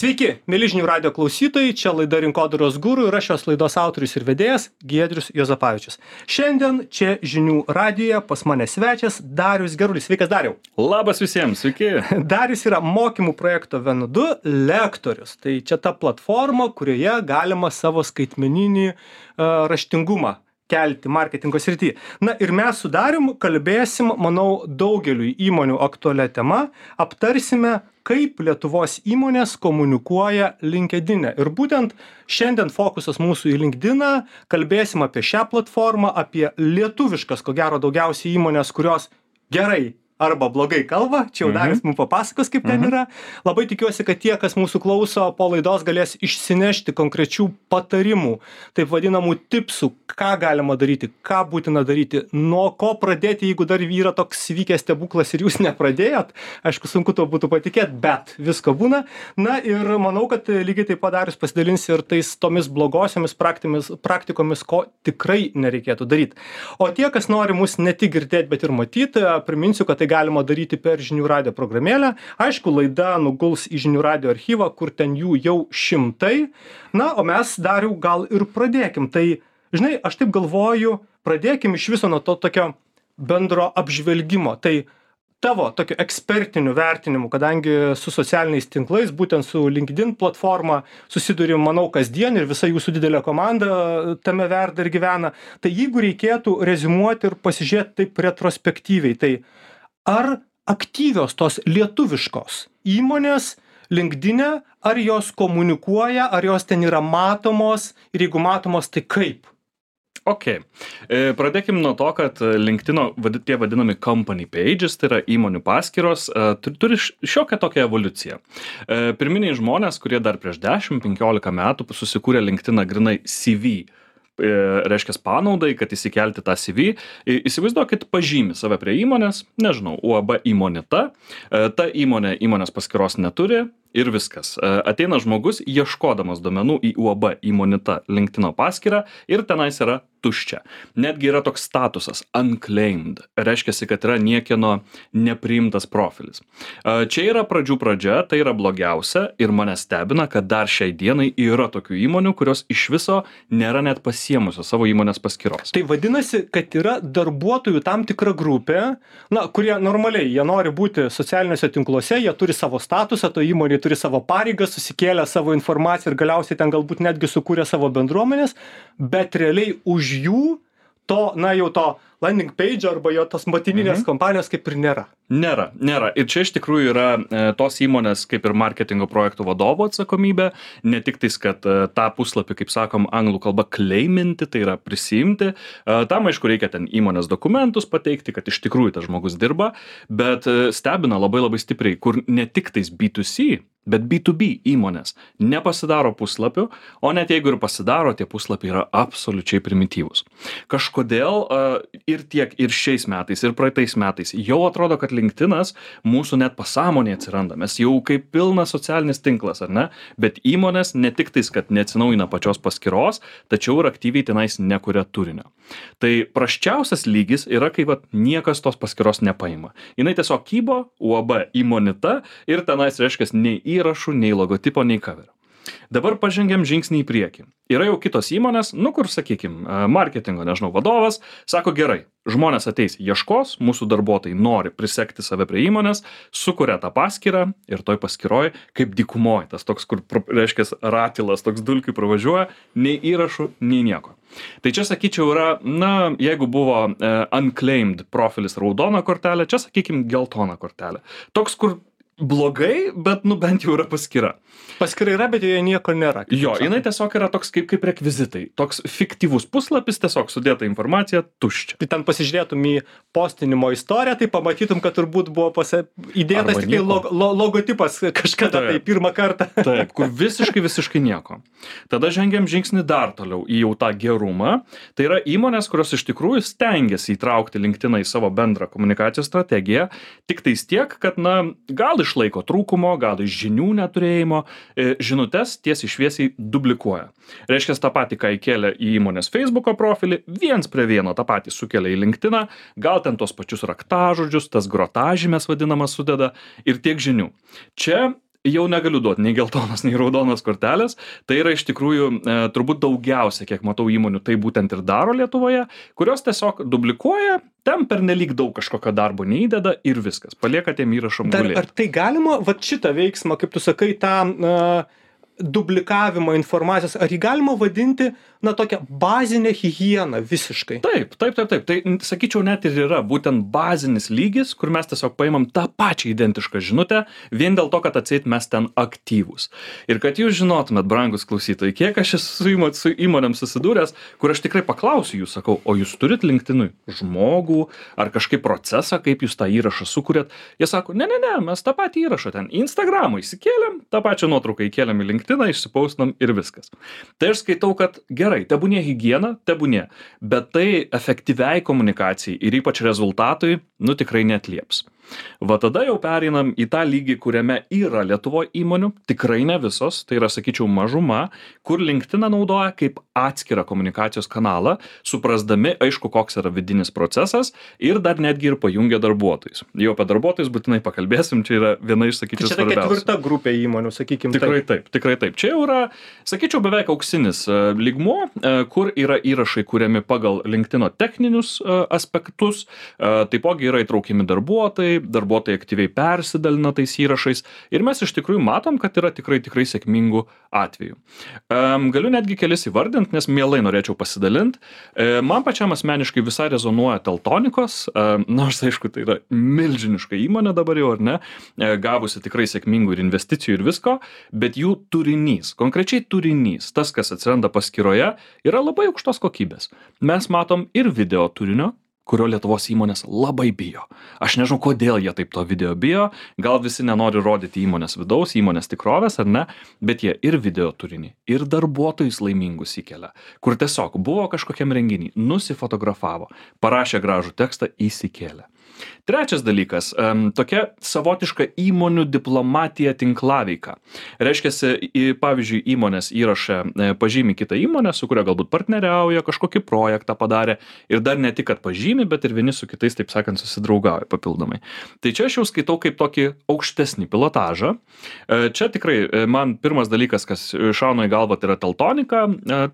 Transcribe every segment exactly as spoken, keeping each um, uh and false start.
Sveiki, mėly žinių radio klausytojai, čia laida Rinkodaros guru ir aš šios laidos autorius ir vedėjas Giedrius Juozapavičius. Šiandien čia žinių radijoje pas mane svečias Darius Gerulis. Sveikas, Dariau. Labas visiems, sveiki. Darius yra mokymų projekto V N du lektorius. Tai čia ta platforma, kurioje galima savo skaitmeninį uh, raštingumą kelti marketingo srityje. Na ir mes su Darium kalbėsim, manau, daugeliui įmonių aktualia tema, aptarsime, kaip Lietuvos įmonės komunikuoja LinkedIn'e. Ir būtent šiandien fokusas mūsų į LinkedIn'ą, kalbėsim apie šią platformą, apie lietuviškas, ko gero, daugiausiai įmonės, kurios gerai arba blogai kalba, čia jau Darius mums papasakos, kaip ten yra. Labai tikiuosi, kad tie, kas mūsų klauso po laidos, galės išsinešti konkrečių patarimų, taip vadinamų tipsų, ką galima daryti, ką būtina daryti, nuo ko pradėti, jeigu dar yra toks vykęs stebuklas ir jūs nepradėjot. Aišku, sunku to būtų patikėti, bet visko būna. Na ir manau, kad lygiai taip pat Darius pasidalins ir tais tomis blogosiomis praktikomis, ko tikrai nereikėtų daryti. O tie, kas nori mus ne tik girdėti, bet ir matyti, priminsiu, kad tai galima daryti per žinių radio programėlę. Aišku, laida nuguls į žinių radio archyvą, kur ten jų jau šimtai. Na, o mes, Dariau, gal ir pradėkim. Tai, žinai, aš taip galvoju, pradėkim iš viso nuo to tokio bendro apžvelgimo. Tai tavo tokio ekspertinių vertinimų, kadangi su socialiniais tinklais, būtent su LinkedIn platforma susidurim, manau, kasdien ir visa jūsų didelė komanda tame verda ir gyvena. Tai jeigu reikėtų reziumuoti ir pasižiūrėti taip retrospektyviai, tai ar aktyvios tos lietuviškos įmonės LinkedIn'e, ar jos komunikuoja, ar jos ten yra matomos ir jeigu matomos, tai kaip? Ok. Pradėkim nuo to, kad LinkedIn'o tie vadinami company pages, tai yra įmonių paskyros, turi šiokią tokią evoliuciją. Pirminiai žmonės, kurie dar prieš dešimt penkiolika metų susikūrė LinkedIn'ą grynai C V, reiškia panaudai, kad įsikelti tą C V. Įsivaizduokit, pažymi save prie įmonės, nežinau, U A B Imonita, ta įmonė įmonės paskyros neturi ir viskas. Ateina žmogus ieškodamas duomenų į U A B Imonita LinkedIn'o paskyrą ir tenais yra tuščia. Netgi yra toks statusas unclaimed, reiškia, kad yra niekieno nepriimtas profilis. Čia yra pradžių pradžia, tai yra blogiausia ir mane stebina, kad dar šiai dienai yra tokių įmonių, kurios iš viso nėra net pasiemusios savo įmonės paskyros. Tai vadinasi, kad yra darbuotojų tam tikra grupė, na, kurie normaliai, jie nori būti socialiniuose tinkluose, jie turi savo statusą, to įmonė turi savo pareigas, susikėlę savo informaciją ir galiausiai ten galbūt netgi sukūrė savo bendruomenės, bet realiai už jų to, na jau to landing page arba jo tos motininės mhm. kompanijos kaip ir nėra. Nėra, nėra. Ir čia iš tikrųjų yra e, tos įmonės kaip ir marketingo projektų vadovo atsakomybė, ne tik tais, kad e, tą puslapį, kaip sakom, anglų kalba claiminti, tai yra prisimti. E, tam, aišku, reikia ten įmonės dokumentus pateikti, kad iš tikrųjų tas žmogus dirba, bet e, stebina labai labai stipriai, kur ne tik tais B du C, bet B du B įmonės nepasidaro puslapių, o net jeigu ir pasidaro, tie puslapiai yra absoliučiai primityvūs. Kažkodėl e, ir tiek ir šiais metais, ir praeitais metais jau atrodo, kad LinkedIn'as mūsų net pasąmonėje atsiranda. Mes jau kaip pilnas socialinis tinklas, ar ne? Bet įmonės ne tik tais, kad neatsinaujina pačios paskyros, tačiau ir aktyviai tenais nekuria turinio. Tai prasčiausias lygis yra, kai vat, niekas tos paskyros nepaima. Jinai tiesiog kybo, U A B Imonita ir tenais reiškia nei įrašų, nei logotipo, nei coverio. Dabar pažengiam žingsnį į priekį. Yra jau kitos įmonės, nu kur, sakykim, marketingo, nežinau, vadovas, sako gerai, žmonės ateis, ieškos, mūsų darbuotojai nori prisekti save prie įmonės, sukuria tą paskyrą ir toj paskyroj, kaip dykumoj, tas toks, kur, reiškia, ratilas, toks dulkių pravažiuoja, nei įrašų, nei nieko. Tai čia, sakyčiau, yra, na, jeigu buvo uh, unclaimed profilis raudona kortelė, čia, sakykim, geltona kortelė. Toks, kur blogai, bet, nu, bent jau yra paskyra. Paskyra yra, bet joje nieko nėra. Jo, jinai tiesiog yra toks kaip, kaip rekvizitai. Toks fiktyvus puslapis, tiesiog sudėta informacija, tuščia. Tai ten pasižiūrėtum į postinimo istoriją, tai pamatytum, kad turbūt buvo pasi... įdėtas tik log, lo, logotipas kažkada, taip, tai pirmą kartą. Taip, kur visiškai, visiškai nieko. Tada žengiam žingsnį dar toliau į jau tą gerumą. Tai yra įmonės, kurios iš tikrųjų stengiasi įtraukti LinkedIną į savo bendrą komunikacijos strategiją, tik tais tiek, kad, na, gal išlaiko trūkumo, gal iš žinių neturėjimo, žinutes tiesiai šviesiai duplikuoja. Reiškia, tą patį, ką įkėlė į įmonės Facebooko profilį, viens prie vieno tą patį sukelia į LinkedIną, gal ten tos pačius raktažodžius, tas grotažymės vadinamas sudeda ir tiek žinių. Čia jau negaliu duoti nei geltonos, nei raudonos kortelės. Tai yra iš tikrųjų e, turbūt daugiausia, kiek matau įmonių, tai būtent ir daro Lietuvoje, kurios tiesiog dublikuoja, ten pernelyg daug kažkokio darbo neįdeda ir viskas. Palieka tiem įrašom gulėti. Ar tai galima, va šitą veiksmą, kaip tu sakai, tą uh, dublikavimą informacijos, ar jį galima vadinti, na, tokią bazinę higieną visiškai? Taip, taip, taip, taip. Tai, sakyčiau, net ir yra būtent bazinis lygis, kur mes tiesiog paimam tą pačią identišką žinutę, vien dėl to, kad atseit mes ten aktyvūs. Ir kad jūs žinotumėt, brangus klausytojai, kiek aš esu su, įmo, su įmonėm susidūręs, kur aš tikrai paklausiu jų, sakau, o jūs turit LinkedInui žmogų ar kažkaip procesą, kaip jūs tą įrašą sukūrėt? Jie sako, ne, ne, ne, mes tą patį įrašą ten į Instagramą įsikėlėm, tą pačią nuotrauką įkėlėm į LinkedIną, išsipaustinam ir viskas. Tai aš skaitau, kad gerai, tebūnie higiena, tebūnie, bet tai efektyviai komunikacijai ir ypač rezultatui, nu tikrai neatlieps. Va tada jau pereinam į tą lygį, kuriame yra Lietuvoje įmonių, tikrai ne visos, tai yra, sakyčiau, mažuma, kur LinkedIną naudoja kaip atskirą komunikacijos kanalą, suprasdami, aišku, koks yra vidinis procesas ir dar netgi ir pajungia darbuotojus. Jau apie darbuotojus būtinai pakalbėsim, čia yra viena iš, sakyčiau, tai čia svarbiausių. Tai ketvirta grupė įmonių, sakykim. Tikrai taip. taip, tikrai taip. Čia jau yra, sakyčiau, beveik auksinis uh, lygmuo, uh, kur yra įrašai kuriami pagal LinkedIno techninius uh, aspektus, uh, taipogi yra įtraukiami darbuotojai, darbuotojai aktyviai persidalina tais įrašais ir mes iš tikrųjų matom, kad yra tikrai, tikrai sėkmingų atvejų. Um, galiu netgi kelis įvardinti, nes mielai norėčiau pasidalinti. E, man pačiam asmeniškai visai rezonuoja Teltonikos, e, nors aišku, tai yra milžiniška įmonė dabar jau, ar ne, e, gavusi tikrai sėkmingų ir investicijų ir visko, bet jų turinys, konkrečiai turinys, tas, kas atsiranda paskyroje, yra labai aukštos kokybės. Mes matom ir video turinio, kurio Lietuvos įmonės labai bijo. Aš nežinau, kodėl jie taip to video bijo, gal visi nenori rodyti įmonės vidaus, įmonės tikrovės, ar ne, bet jie ir video turinį, ir darbuotojus laimingus įkelia, kur tiesiog buvo kažkokiam renginį, nusifotografavo, parašė gražų tekstą, įsikėlė. Trečias dalykas, tokia savotiška įmonių diplomatija tinklaveika. Reiškiasi, pavyzdžiui, įmonės įrašę pažymi kitą įmonę, su kuria galbūt partneriauja, kažkokį projektą padarė ir dar ne tik, kad pažymi, bet ir vieni su kitais, taip sakant, susidraugauja papildomai. Tai čia aš jau skaitau kaip tokį aukštesnį pilotažą. Čia tikrai man pirmas dalykas, kas šauna į galvą, tai yra Teltonika,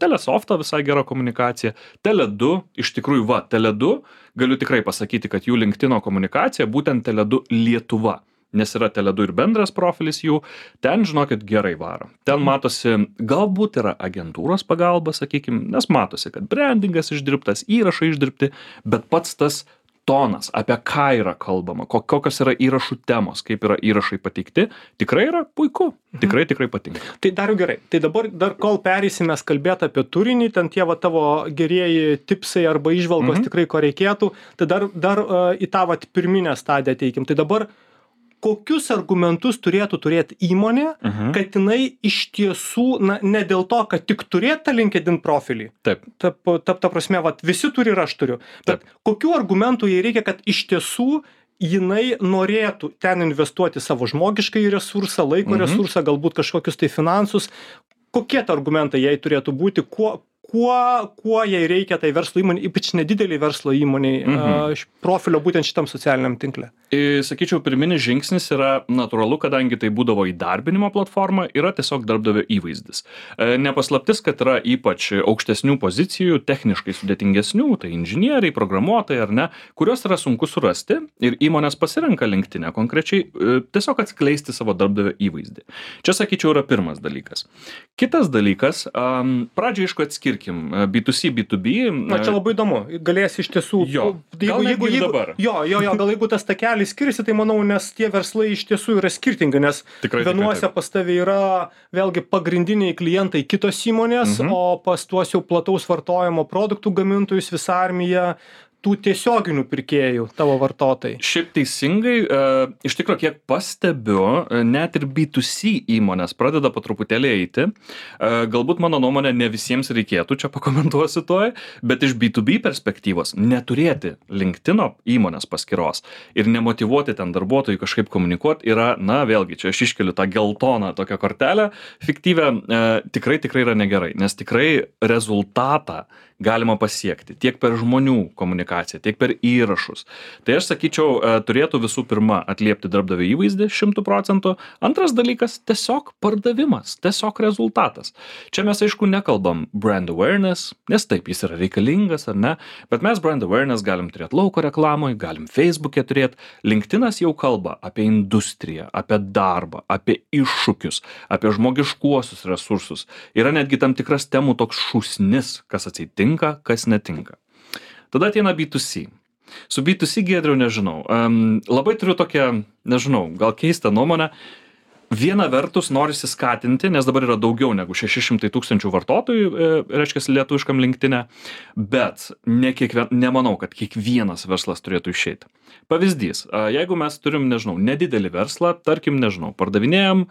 Telesofto visai gera komunikacija, Tele du, iš tikrųjų va, Tele du, galiu tikrai pasakyti, kad jų LinkedIno komunikacija būtent Tele du Lietuva, nes yra Tele du ir bendras profilis jų, ten, žinokit, gerai varo. Ten matosi, galbūt yra agentūros pagalba, sakykim, nes matosi, kad brandingas išdirbtas, įrašai išdirbti, bet pats tas tonas, apie ką yra kalbama, kokios yra įrašų temos, kaip yra įrašai pateikti, tikrai yra puiku, tikrai, tikrai patinka. Tai dar gerai, tai dabar dar kol perėsime kalbėti apie turinį, ten tie va tavo gerieji tipsai arba įžvalgos mhm. tikrai ko reikėtų, tai dar, dar uh, į tą va pirminę stadiją teikim. Tai dabar kokius argumentus turėtų turėti įmonė, uh-huh. kad jinai iš tiesų, na, ne dėl to, kad tik turėtų tą LinkedIn profilį. Taip. Ta, ta, ta prasme, vat, visi turi ir aš turiu. Bet Taip. Kokių argumentų jai reikia, kad iš tiesų jinai norėtų ten investuoti savo žmogiškai resursą, laiko uh-huh. resursą, galbūt kažkokius tai finansus. Kokie tai argumentai jai turėtų būti, kuo, kuo, kuo jai reikia tai verslo įmonė, ypač nedidelį verslo įmoniai, mhm. uh, profilio būtent šitam socialiniam tinkle? I, sakyčiau, pirminis žingsnis yra natūralu, kadangi tai būdavo įdarbinimo platforma, yra tiesiog darbdavio įvaizdis. E, nepaslaptis, kad yra ypač aukštesnių pozicijų, techniškai sudėtingesnių, tai inžinieriai, programuotojai ar ne, kurios yra sunku surasti ir įmonės pasirenka LinkedIn konkrečiai e, tiesiog atskleisti savo darbdavio įvaizdį. Čia, sakyčiau, yra pirmas dalykas. Kitas dalykas, um, pradžiai aišku atskirkim B du C, B du B. Na, čia labai įdomu, galės iš tiesų. Jo, jeigu, jeigu, jeigu, dabar. Jo, jo, jo, gal jeigu tas takelis skiriasi, tai manau, nes tie verslai iš tiesų yra skirtingi, nes tikrai, vienuose tikrai, pas tavį yra vėlgi pagrindiniai klientai kitos įmonės, mhm. o pas tuos jau plataus vartojimo produktų gamintojus visa armija tų tiesioginių pirkėjų, tavo vartotojai. Šiaip teisingai, e, iš tikrųjų, kiek pastebiu, net ir B du C įmonės pradeda po truputėlį eiti. E, galbūt mano nuomonė ne visiems reikėtų, čia pakomentuosiu toj, bet iš B du B perspektyvos neturėti LinkedIno įmonės paskyros ir nemotyvuoti ten darbuotojų kažkaip komunikuoti yra, na, vėlgi, čia aš iškeliu tą geltoną tokią kortelę fiktyvę, e, tikrai, tikrai yra negerai, nes tikrai rezultatą galima pasiekti tiek per žmonių komunikaciją, komunikaciją, tiek per įrašus. Tai aš sakyčiau, turėtų visų pirma atliepti darbdavio įvaizdį šimtų procentų. Antras dalykas - tiesiog pardavimas, tiesiog rezultatas. Čia mes aišku nekalbam brand awareness, nes taip jis yra reikalingas ar ne, bet mes brand awareness galim turėti lauko reklamoje, galim Facebook'e turėti. LinkedInas jau kalba apie industriją, apie darbą, apie iššūkius, apie žmogiškuosius resursus. Yra netgi tam tikras temų toks šūsnis, kas atsitinka, kas netinka. Tada ateina B du C. Su B du C, Giedriau, nežinau. Um, labai turiu tokią, nežinau, gal keistą nuomonę. Viena vertus norisi skatinti, nes dabar yra daugiau negu šeši šimtai tūkstančių vartotojų, e, reiškia, lietuviškam LinkedIne, bet ne kiekvien, nemanau, kad kiekvienas verslas turėtų išeiti. Pavyzdys, jeigu mes turim, nežinau, nedidelį verslą, tarkim, nežinau, pardavinėjam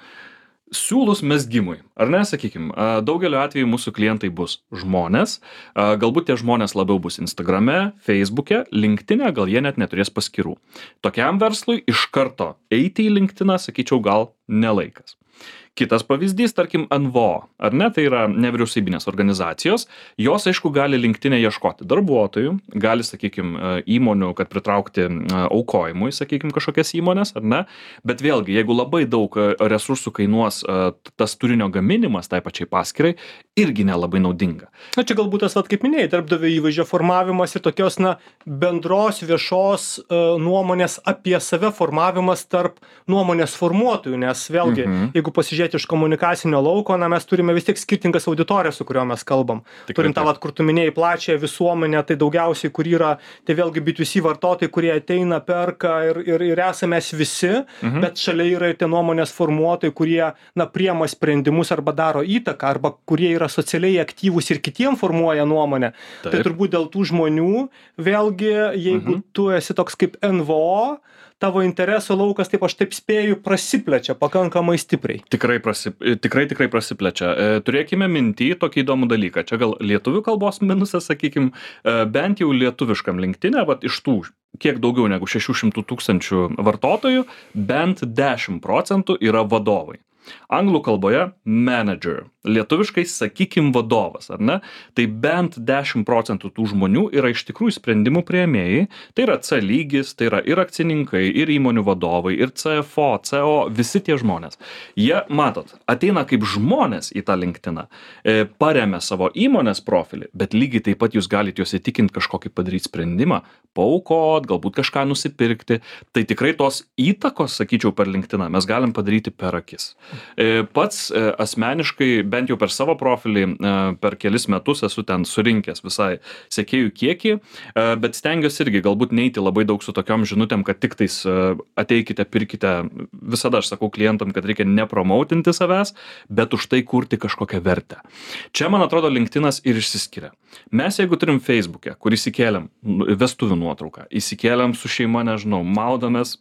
siūlus mezgimui, ar ne, sakykim, daugeliu atveju mūsų klientai bus žmonės, galbūt tie žmonės labiau bus Instagrame, Facebook'e, LinkedIn'e, gal jie net neturės paskyrų. Tokiam verslui iš karto eiti į LinkedIną, sakyčiau, gal nelaikas. Kitas pavyzdys, tarkim, N V O, ar ne, tai yra nevyriausybinės organizacijos, jos, aišku, gali LinkedIn'e ieškoti darbuotojų, gali, sakykim, įmonių, kad pritraukti aukojimui, sakykim, kažkokias įmonės, ar ne, bet vėlgi, jeigu labai daug resursų kainuos tas turinio gaminimas tai pačiai paskirai, irgi nelabai naudinga. Na, čia galbūt tas, vat, kaip minėjai, darbdavio įvaizdžio formavimas ir tokios, na, bendros viešos uh, nuomonės apie save formavimas tarp nuomonės formuotojų, nes vėlgi, mhm. jeigu pasižiūrėti iš komunikacinio lauko, na, mes turime vis tiek skirtingas auditorijas, su kurio mes kalbam. Tikrai, turim tą, vat, kur tu minėjai, plačią visuomenę, tai daugiausiai, kur yra, tai vėlgi B du C vartotojai, kurie ateina, perka ir, ir, ir esame mes visi, mhm. bet šalia yra ir tie nuomonės formuotojai, kurie, na, priema sprendimus arba daro įtaką, arba kurie yra socialiai aktyvūs ir kitiem formuoja nuomonę. Taip. Tai turbūt dėl tų žmonių, vėlgi, jeigu mhm. tu esi toks kaip N V O, tavo interesų laukas, taip aš taip spėju, prasiplečia pakankamai stipriai. Tikrai, prasi, tikrai, tikrai prasiplečia. E, turėkime mintį tokį įdomų dalyką. Čia gal lietuvių kalbos minusas, sakykim, e, bent jau lietuviškam LinkedIn'e, vat iš tų kiek daugiau negu šešių šimtų tūkstančių vartotojų, bent dešimt procentų yra vadovai. Anglų kalboje manager, lietuviškai sakykim vadovas, ar ne? Tai bent dešimt procentų tų žmonių yra iš tikrųjų sprendimų priėmėjai, tai yra C lygis, tai yra ir akcininkai, ir įmonių vadovai, ir C F O, C O, visi tie žmonės. Jie, matot, ateina kaip žmonės į tą LinkedIną, e, paremia savo įmonės profilį, bet lygiai taip pat jūs galite juos įtikinti kažkokį padaryti sprendimą, paaukot, galbūt kažką nusipirkti, tai tikrai tos įtakos, sakyčiau, per LinkedIną mes galim padaryti per akis. Pats asmeniškai, bent jau per savo profilį, per kelis metus esu ten surinkęs visai sekėjų kiekį, bet stengiuosi irgi galbūt neiti labai daug su tokiom žinutėm, kad tik tais ateikite, pirkite, visada aš sakau klientam, kad reikia nepromautinti savęs, bet už tai kurti kažkokią vertę. Čia, man atrodo, LinkedInas ir išsiskiria. Mes, jeigu turim Facebook'e, kur įsikėlėm vestuvių nuotrauką, įsikėlėm su šeima, nežinau, maudomės,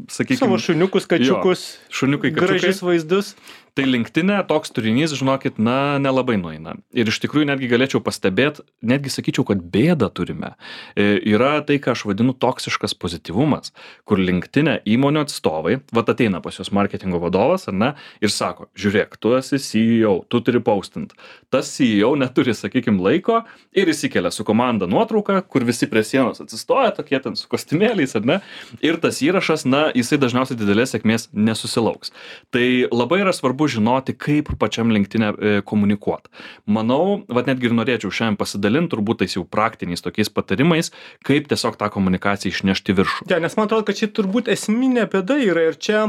sakykime, savo šuniukus, kačiukus, jo, šuniukai, kačiukai, gražius vaizdus. Tai LinkedIn'e toks turinys, žinokit, na, nelabai nueina. Ir iš tikrųjų netgi galėčiau pastebėti, netgi sakyčiau, kad bėdą turime. E, yra tai, ką aš vadinu toksiškas pozityvumas, kur LinkedIn'e įmonių atstovai, vat ateina pas jos marketingo vadovas, ar ne, ir sako, žiūrėk, tu esi C E O, tu turi postint. Tas C E O neturi, sakykim, laiko ir įsikelia su komanda nuotrauką, kur visi prie sienos atsistoja, tokie ten su kostiumėliais, ar ne, ir tas įrašas, na, jisai dažniausiai didelės sėkmės nesusilauks. Tai labai yra svarbu žinoti, kaip pačiam LinkedIn'e e, komunikuoti. Manau, vat netgi ir norėčiau šiandien pasidalinti, turbūt tais jau praktiniais tokiais patarimais, kaip tiesiog tą komunikaciją išnešti viršų. Ja, nes man atrodo, kad čia turbūt esminė bėda yra ir čia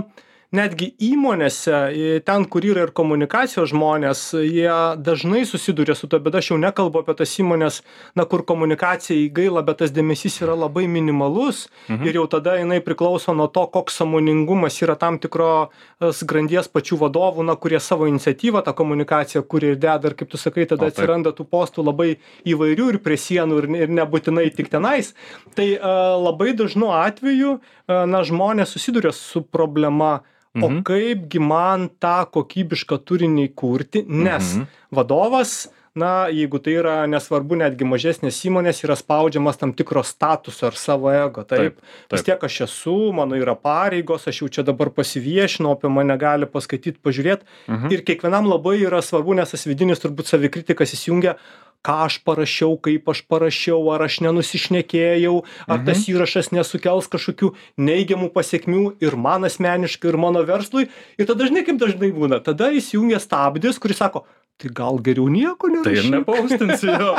netgi įmonėse, ten, kur yra ir komunikacijos žmonės, jie dažnai susiduria su to, bet aš jau nekalbu apie tas įmonės, na, kur komunikacija įgaila, bet tas dėmesys yra labai minimalus mhm. ir jau tada jinai priklauso nuo to, koks sąmoningumas yra tam tikros grandies pačių vadovų, na, kurie savo iniciatyvą tą komunikaciją kuria ir deda, ir kaip tu sakai, tada o, atsiranda tų postų labai įvairių ir prie sienų ir, ir nebūtinai tik tenais. Tai uh, labai dažnu atveju, uh, na, žmonės susiduria su problema, o mhm. kaipgi man tą kokybišką turinį kurti, nes mhm. vadovas, na, jeigu tai yra nesvarbu, netgi mažesnės įmonės, yra spaudžiamas tam tikro statuso ar savo ego. Taip, taip, taip. Vis tiek aš esu, mano yra pareigos, aš jau čia dabar pasiviešinau, apie mane gali paskaityti, pažiūrėti. Mhm. Ir kiekvienam labai yra svarbu, nes tas vidinis turbūt savikritikas įsijungia, ką aš parašiau, kaip aš parašiau, ar aš nenusišnekėjau, ar Mhm. tas įrašas nesukels kažkokių neigiamų pasiekmių ir man asmeniškai, ir mano verslui. Ir tada dažnai, kaip dažnai būna, tada įsijungia stabdis, kuris sako, tai gal geriau nieko nerašyk. Tai ir nepaustinsi jo.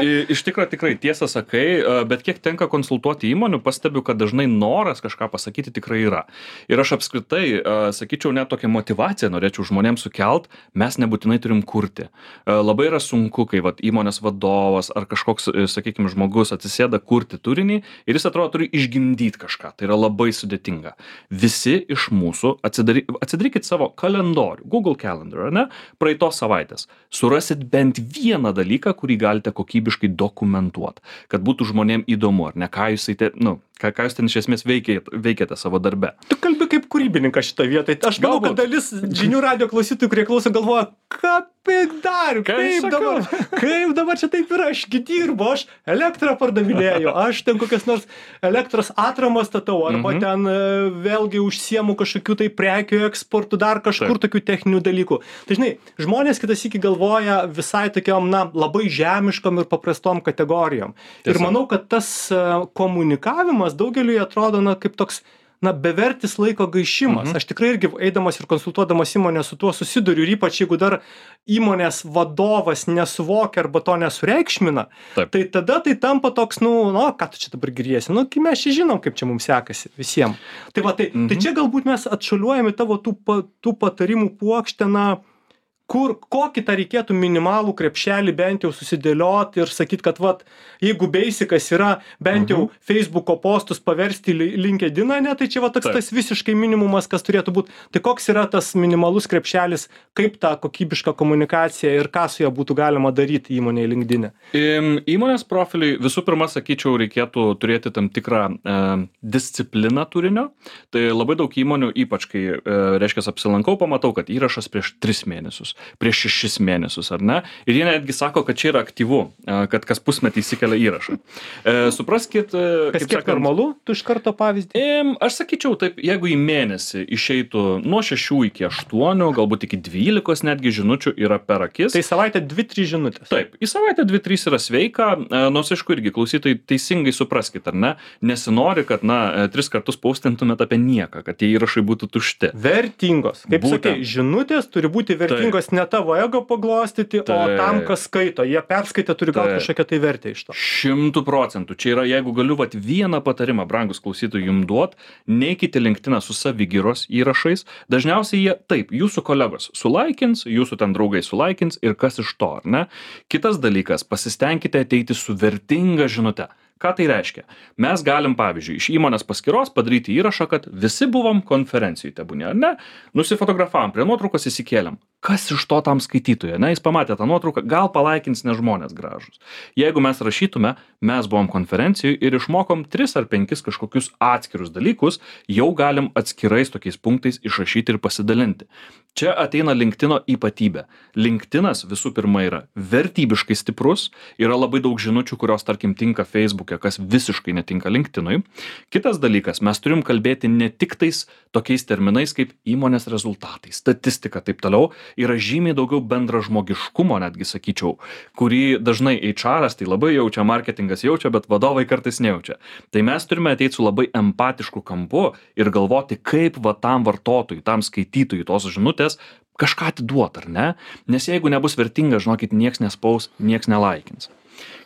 I- Iš tikrųjų tikrai tiesą sakai, e, bet kiek tenka konsultuoti įmonių, pastebiu, kad dažnai noras kažką pasakyti tikrai yra. Ir aš apskritai, e, sakyčiau, net tokią motivaciją norėčiau žmonėms sukelt, mes nebūtinai turim kurti. E, Labai yra sunku, kai vat, įmonės vadovas ar kažkoks, e, sakykime, žmogus atsisėda kurti turinį ir jis atrodo turi išgimdyti kažką. Tai yra labai sudėtinga. Visi iš mūsų atsidary, atsidarykit savo kalendorių, Google Calendar, ar ne, praeitos savaitės. Surasit bent vieną dalyką, kurį galite kokybiškai dokumentuoti, kad būtų žmonėm įdomu, ar ne, ką jūs, te, nu, ką, ką jūs ten iš esmės veikėte, veikėte savo darbe. Tu kalbi kaip kūrybininkas šitą vietą. Aš manau, Galbūt. kad dalis žinių radio klausytojų, kurie klauso, galvoja, ką dar, Ką kaip sakau? dabar, kaip dabar čia taip yra, ašgi dirbu, aš elektrą pardavinėju, aš ten kokias nors elektros atramas statau, arba Mhm. ten e, vėlgi užsiemu kažkokių tai prekių eksportų, dar kažkur Taip. tokių techninių dalykų. Tai žinai, žmonės kitas iki galvoja visai tokiom, na, labai žemiškom ir paprastom kategorijom. Ir Tiesa. manau, kad tas e, komunikavimas daugeliui atrodo, na, kaip toks, na, bevertis laiko gaišimas. Mhm. Aš tikrai irgi eidamas ir konsultuodamas įmonę su tuo susiduriu, ir ypač jeigu dar įmonės vadovas nesuvokia arba to nesureikšmina, Taip. tai tada tai tampa toks, nu, nu, ką tu čia dabar giriesi, nu, kai mes čia žinom, kaip čia mums sekasi visiems. Tai va, tai, Mhm. tai čia galbūt mes atšuoliuojame tavo tų, pa, tų patarimų puokštę, na, kur, kokį tą reikėtų minimalų krepšelį bent jau susidėlioti ir sakyti, kad, vat, jeigu basicas yra bent jau Mhm. Facebooko postus paversti į LinkedIną, ne, tai čia va toks Taip. tas visiškai minimumas, kas turėtų būti. Tai koks yra tas minimalus krepšelis, kaip tą kokybišką komunikaciją ir ką su ja būtų galima daryti įmonėje LinkedIn'e? Im, Įmonės profiliui visų pirma, sakyčiau, reikėtų turėti tam tikrą e, discipliną turinio. Tai labai daug įmonių, ypač kai, e, reiškia, apsilankau, pamatau, kad įrašas prieš tris mėnesius, prieš šešis mėnesius, ar ne? Ir jie netgi sako, kad čia yra aktyvu, e, kad kas pusmetį įsikelia įrašą. E, supraskit, e, Kas kiek normalu, tu iš karto pavyzdį? Im, aš sakyčiau taip, jeigu į mėnesį išeitų nuo šešių iki aštuonių, galbūt iki dvylikos netgi žinučių yra per akis. Tai savaitę dvi trys žinutės. Taip, į savaitę dvi trys yra sveika, e, nors aišku irgi klausytojai teisingai supraskit, ar ne, nesinori, kad, na, e, tris kartus paustintumėt apie nieką, kad tie įrašai būtų tušti. Vertingos. Kaip Būtent. sakai, žinutės turi būti vertingos ne tavo ego paglostyti, o Taip. tam, kas skaito. Jie perskaitę turi gauti Taip. kažkokią tai vertę iš to. Šimtų procentų. Čia yra, jeigu galiu vat vieną patarimą, brangus klausytojai, jums duot, neikite linktiną su savigyros įrašais. Dažniausiai jie, taip, jūsų kolegos sulaikins, jūsų ten draugai sulaikins ir kas iš to, ar ne? Kitas dalykas, pasistengkite ateiti su vertinga žinute. Ką tai reiškia? Mes galim, pavyzdžiui, iš įmonės paskyros padaryti įrašą, kad visi buvom konferencijų, tebūnė, ar ne? Nusifotografavom, prie nuotraukos įsikėlėm. Kas iš to tam skaitytojui, ne? Jis pamatė tą nuotrauką, gal palaikins, ne žmonės gražus. Jeigu mes rašytume, mes buvom konferencijų ir išmokom tris ar penkis kažkokius atskirus dalykus, jau galim atskirais tokiais punktais išrašyti ir pasidalinti. Čia ateina LinkedIno ypatybė. LinkedInas visų pirma yra vertybiškai stiprus, yra labai daug žinučių, kurios, tarkim, tinka Facebook'e, kas visiškai netinka LinkedInui. Kitas dalykas, mes turim kalbėti ne tik tais tokiais terminais kaip įmonės rezultatai, statistika, taip toliau, yra žymiai daugiau bendražmogiškumo, netgi sakyčiau, kurį dažnai H R'as tai labai jaučia, marketingas jaučia, bet vadovai kartais nejaučia. Tai mes turime ateiti su labai empatišku kampu ir galvoti, kaip va tam vartotojui, tam skaitytojui tos žinutės kažką atiduot, ar ne? Nes jeigu nebus vertinga, žinokit, nieks nespaus, nieks nelaikins.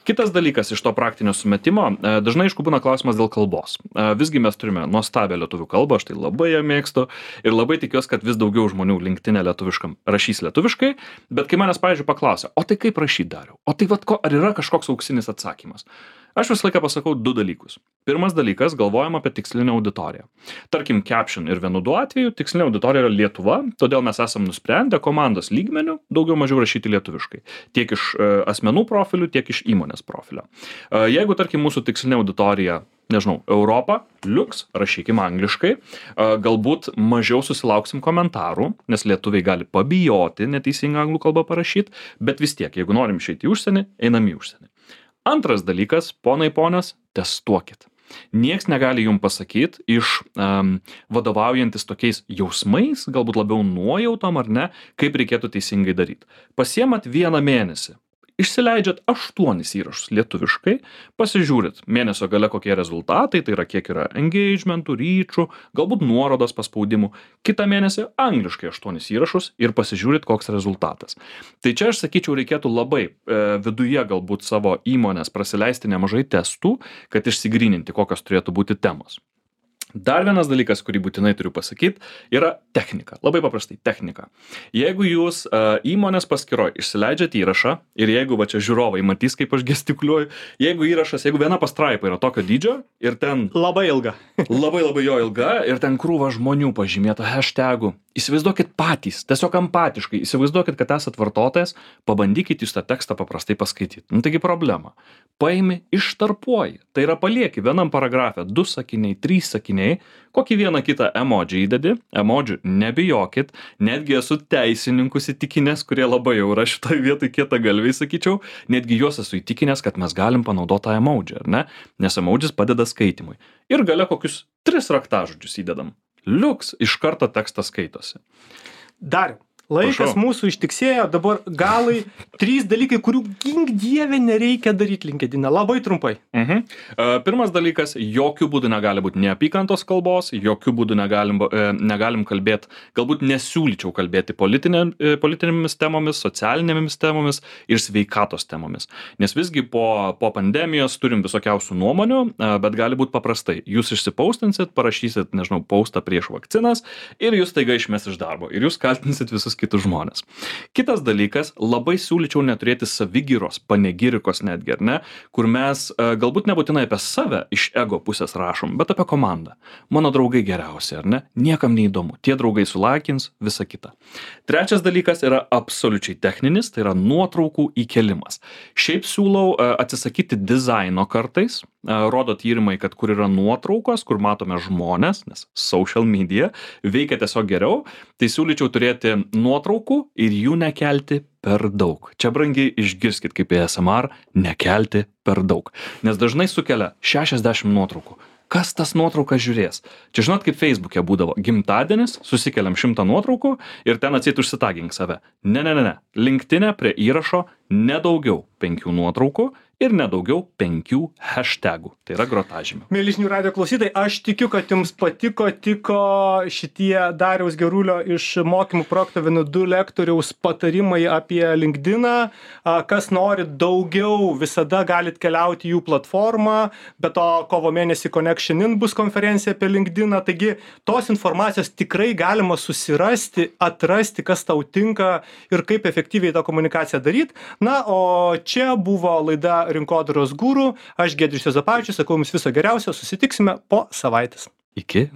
Kitas dalykas iš to praktinio sumetimo, e, dažnai aišku būna klausimas dėl kalbos. E, Visgi mes turime nuostabią lietuvių kalbą, aš tai labai ją mėgstu ir labai tikiuosi, kad vis daugiau žmonių LinkedIn'e lietuviškam rašys lietuviškai, bet kai manęs, pavyzdžiui, paklausia, o tai kaip rašyti Dariau? O tai vat ko, ar yra kažkoks auksinis atsakymas? Aš visą laiką pasakau du dalykus. Pirmas dalykas, galvojam apie tikslinę auditoriją. Tarkim, Caption ir Venudu atveju tikslinė auditorija yra Lietuva, todėl mes esam nusprendę komandos lygmenių daugiau mažiau rašyti lietuviškai. Tiek iš e, asmenų profilių, tiek iš įmonės profilio. E, jeigu, tarkim, mūsų tikslinė auditorija, nežinau, Europa, liuks, rašykim angliškai, e, galbūt mažiau susilauksim komentarų, nes lietuviai gali pabijoti neteisingą anglų kalbą parašyti, bet vis tiek, jeigu norim išeiti į užsienį, einam į užsienį. Antras dalykas, ponai ponios, testuokit. Nieks negali jums pasakyti iš um, vadovaujantis tokiais jausmais, galbūt labiau nuojautom ar ne, kaip reikėtų teisingai daryti. Pasiemat vieną mėnesį, išsileidžiat aštuonis įrašus lietuviškai, pasižiūrit mėnesio gale kokie rezultatai, tai yra kiek yra engagementų, ryčių, galbūt nuorodos paspaudimų, kitą mėnesį angliškai aštuonis įrašus ir pasižiūrit koks rezultatas. Tai čia aš sakyčiau reikėtų labai e, viduje galbūt savo įmonės prasileisti nemažai testų, kad išsigryninti kokios turėtų būti temos. Dar vienas dalykas, kurį būtinai turiu pasakyti, yra technika. Labai paprastai, technika. Jeigu jūs uh, įmonės paskiroj išsileidžiat įrašą ir jeigu va čia žiūrovai matys, kaip aš gestikuliuoju, jeigu įrašas, jeigu viena pastraipa yra tokio dydžio ir ten Labai ilga. labai labai jo ilga ir ten krūva žmonių pažymėta hashtagų, įsivaizduokit patys, tiesiog empatiškai, įsivaizduokit, kad esat vartotojas, pabandykit jūs tą tekstą paprastai paskaityti. Nu taigi problema. Paimi, ištarpuoji. Tai yra palieki vienam paragrafe du sakiniai, trys sakiniai, kokį vieną kitą emodžių įdedi, emodžių nebijokit, netgi esu teisininkus įtikinęs, kurie labai jau yra šitoj vietoj kieta galviai, sakyčiau, netgi juos esu įtikinęs, kad mes galim panaudoti tą emodžių, ar ne? Nes emodžis padeda skaitimui. Ir gale kokius tris raktažodžius įdedam. Liuks, iš karto tekstas skaitosi. Dariau, laikas Prašau. mūsų ištiksėjo, dabar galai trys dalykai, kurių gink dieve nereikia daryti LinkedIn. Labai trumpai. Mhm. Uh, pirmas dalykas, jokių būdų negali būti neapykantos kalbos, jokių būdų negalim, uh, negalim kalbėti, galbūt nesiūlyčiau kalbėti politinė, uh, politinėmis temomis, socialinėmis temomis ir sveikatos temomis. Nes visgi po, po pandemijos turim visokiausių nuomonių, uh, bet gali būti paprastai. Jūs išsipaustinsit, parašysit, nežinau, paustą prieš vakcinas ir jūs taiga išmes iš darbo ir jūs kaltinsit visus kitus žmonės. Kitas dalykas, labai siūlyčiau neturėti savigyros, panegirikos netgi, ar ne, kur mes uh, galbūt nebūtinai apie save iš ego pusės rašom, bet apie komandą. Mano draugai geriausi, ar ne? Niekam neįdomu. Tie draugai sulakins, visa kita. Trečias dalykas yra absoliučiai techninis, tai yra nuotraukų įkelimas. Šiaip siūlau uh, atsisakyti dizaino kartais, uh, rodo tyrimai, kad kur yra nuotraukos, kur matome žmonės, nes social media veikia tiesiog geriau, tai siūlyčiau turėti nuotraukų ir jų nekelti per daug. Čia brangiai išgirskit kaip A S M R, nekelti per daug. Nes dažnai sukelia šešiasdešimt nuotraukų. Kas tas nuotraukas žiūrės? Čia žinot, kaip Facebook'e būdavo. Gimtadienis, susikeliam šimtą nuotraukų ir ten atseit užsitagink save. Ne, ne, ne, ne. LinkedIn'e prie įrašo nedaugiau penkių nuotraukų ir nedaugiau penkių hashtagų. Tai yra grotažymė. Mieli žinių radijo klausytojai, aš tikiu, kad jums patiko, tiko šitie Dariaus Gerulio iš mokymų projekto Venu du lektoriaus patarimai apie LinkedIną. Kas nori daugiau, visada galit keliauti jų platformą, bet to kovo mėnesį Connection In bus konferencija apie LinkedIną, taigi tos informacijos tikrai galima susirasti, atrasti, kas tau tinka ir kaip efektyviai tą komunikaciją daryti. Na, o čia buvo laida Rinkodaros guru, aš Giedrius Juozapavičius, sakau jums viso geriausio, susitiksime po savaitės. Iki.